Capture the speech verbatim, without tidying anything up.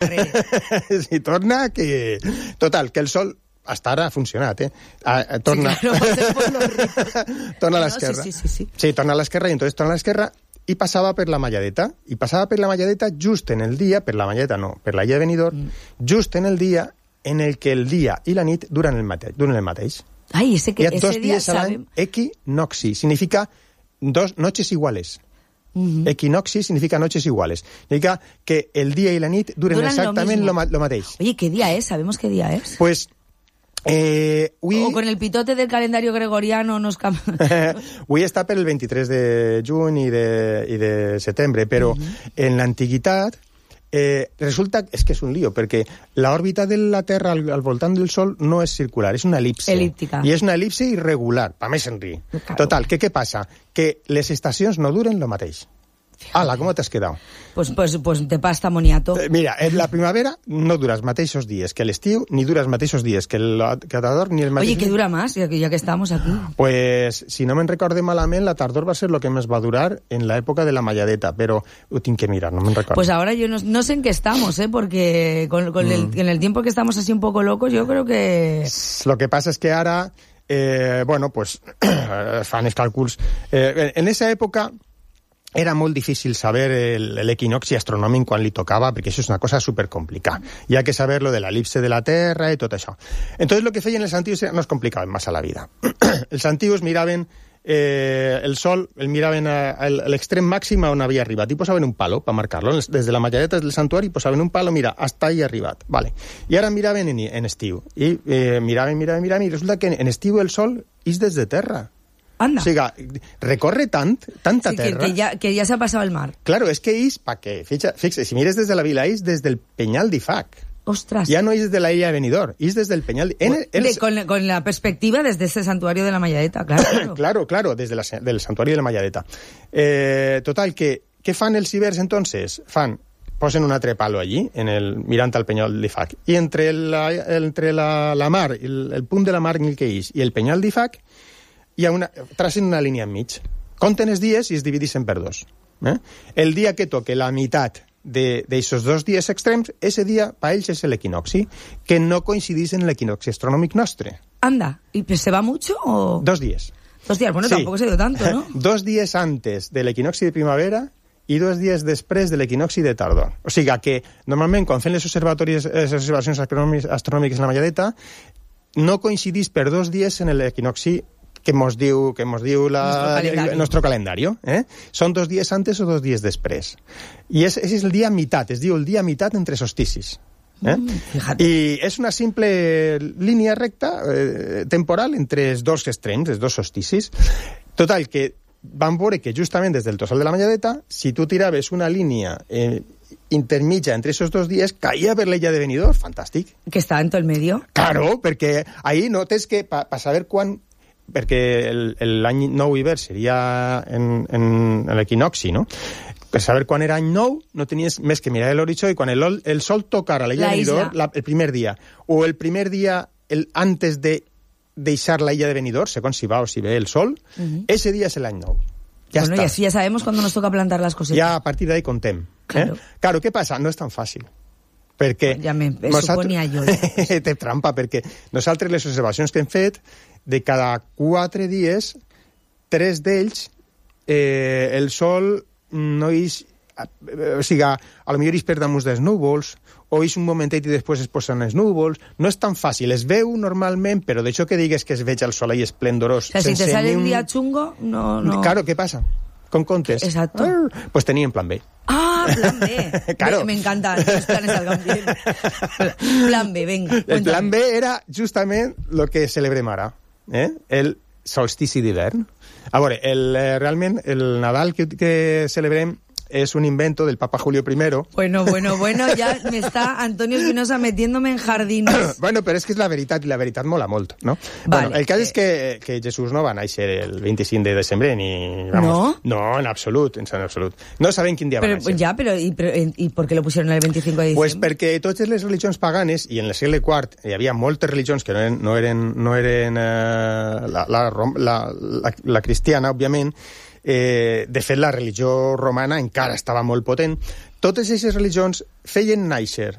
Sí, torna que... Total, que el sol... Hasta ara ha funcionat, eh? Ah, torna... Sí, claro, torna a no, l'esquerra. Sí, sí, sí, sí. Sí, torna a l'esquerra, i entonces torna a l'esquerra i passava per la Malladeta. I passava per la Malladeta just en el dia, per la Malladeta no, per la Illa de Benidorm, mm. just en el dia en el que el dia i la nit duren el mateix. Duren el mateix. Ai, ese, que, Hi ha ese dos dia dies a l'any sabem... equinoxi. Significa dos noches iguales. Uh-huh. Equinoxi significa noches iguales. Significa que el dia i la nit duren, duren exactament lo, lo mateix. Oye, ¿qué día es? ¿Sabemos qué día es? Pues... Eh, ui... O con el pitote del calendario gregoriano nos cambia. Avui està per el vint-i-tres de juny i de, i de setembre, però uh-huh. en l'antiguitat eh, resulta... És que és un lío, perquè l'òrbita de la Terra al, al voltant del Sol no és circular, és una elipse. Elíptica. I és una elipse irregular, pa més enri. Claro. Total, que què passa? Que les estacions no duren lo mateix. Ala, ¿cómo te has quedado? Pues, pues, pues de pasta moniato. Eh, mira, en la primavera no dura els mateixos dies que l'estiu, ni dura els mateixos dies que el que la tardor, ni el mateix... Oye, ¿qué dura más, ya que, ya que estamos aquí? Pues, si no me'n recorde malament, la tardor va ser lo que més va durar en la època de la Malladeta, però ho tinc que mirar, no me'n recordo. Pues ahora yo no, no sé en qué estamos, ¿eh? Porque con, con mm. el, en el tiempo que estamos así un poco locos, yo creo que... Lo que pasa es que ara, eh, bueno, pues, fan els càlculs. Eh, en esa època... Era molt difícil saber l'equinoxi astronòmic quan li tocava, perquè això és una cosa supercomplicada. Hi ha que saber lo de l'elipse de la Terra i tot això. Entonces, lo que feien els antius no es complicaven massa la vida. Els antius miraven eh, el sol, el miraven a, a l'extrem màxim on havia arribat i posaven un palo per marcar-lo. Des de la Malladeta del santuari posaven un palo, mira, hasta ahí arribat. Vale. I ara miraven en, en estiu. I eh, miraven, miraven, miraven, i resulta que en estiu el sol és des de terra. Anda. O sigui, recorre tant, tanta sí, que, terra... Que ja, que ja s'ha passat el mar. Claro, és que és, pa què? Fixa, fixa, si mires des de la vila, és des del Penyal d'Ifac. Ostras. Ya no és des de la illa de Benidorm, és des del Penyal... En el, el... De, con, con la perspectiva desde ese santuario de la Malladeta, claro. Claro, claro, claro desde la, del santuari de la Malladeta. Eh, total, que, què fan els ibers, entonces? Fan... posen un altre palo allí, en el, mirant al Penyal d'Ifac, i entre la, entre la, la mar, el, el punt de la mar en el que és, i el Penyal d'Ifac, hi ha una, tracen una línia enmig. Compten els dies i es divideixen per dos. Eh? El dia que toque la meitat d'aixòs dos dies extrems, ese dia, per ells, és l'equinoxi, que no coincideix en l'equinoxi astronòmic nostre. Anda, ¿y se va mucho o...? Dos días. Dos días, bueno, sí. Tampoco se ha ido tanto, ¿no? Dos días antes del equinoxi de primavera i dos dies després de l'equinoxi de tardor. O sigui que, normalment, quan fem les observacions, les observacions astronòmiques en la Malladeta, no coincidís per dos dies en l'equinoxi que mos diu, que mos diu la, el nostre calendari. Eh? Són dos dies antes o dos dies després. I és, és el dia mitat, es diu el dia mitat entre solsticis. Eh? Mm, I és una simple línia recta eh, temporal entre els dos extrems, els dos solsticis. Total, que van veure que justament des del tossal de la Malladeta, si tu tiraves una línia eh, intermitja entre esos dos dies, caia per l'illa de Benidorm, fantàstic. Que està en tot el medio. Claro, perquè ahí notes que pa, pa saber quan... perquè l'any nou hivern seria en, en, en l'equinoxi, no? Per saber quan era any nou, no tenies més que mirar l'horitzó i quan el, el sol tocara a l'illa de Benidorm el primer dia, o el primer dia el, antes de deixar la illa de Benidorm, segons si va o si ve el sol, uh-huh. ese dia és l'any nou. Ja bueno, està. Y así ya sabemos cuándo nos toca plantar las cositas. Ya a partir de ahí contem. Claro. Eh? Claro, què passa? No és tan fàcil. Perquè... Ja me, me nosaltres... suponia jo. Té trampa, perquè nosaltres les observacions que hem fet, de cada quatre dies, tres d'ells, eh, el sol no és... O sigui, a lo millor és per damunt dels núvols, o és un momentet i després es posen els núvols. No és tan fàcil. Es veu normalment, però d'això que digues que es veig el sol ahí esplendorós... O sea, si te sale un día chungo, no... no... Claro, ¿qué pasa? Con contes. Exacto. Ah, pues tenían plan B. Ah, plan B. Claro. Me, me encantan los planes salgan bien. Plan B, venga. El cuéntame. plan B era justament lo que celebrem ara, eh? El solstici d'hivern. A veure, el, eh, realment el Nadal que, que celebrem es un invento del Papa Julio primero. Bueno, bueno, bueno, ya me está Antonio Espinosa metiéndome en jardines. Bueno, però és que és la veritat, i la veritat mola molt, no? Vale. Bueno, el cas és que, que Jesús no va néixer el vint-i-cinc de desembre, ni... Vamos, ¿No? No, en absolut, en absolut. No sabem quin dia Pero, va néixer. ya, pero ¿y, pero ¿y por qué lo pusieron el veinticinco de diciembre? Pues perquè totes les religions paganes, i en el segle quart hi havia moltes religions que no eren, no eren, no eren eh, la, la, la, la, la cristiana, òbviament. Eh, de fet, la religió romana encara estava molt potent. Totes aquestes religions feien néixer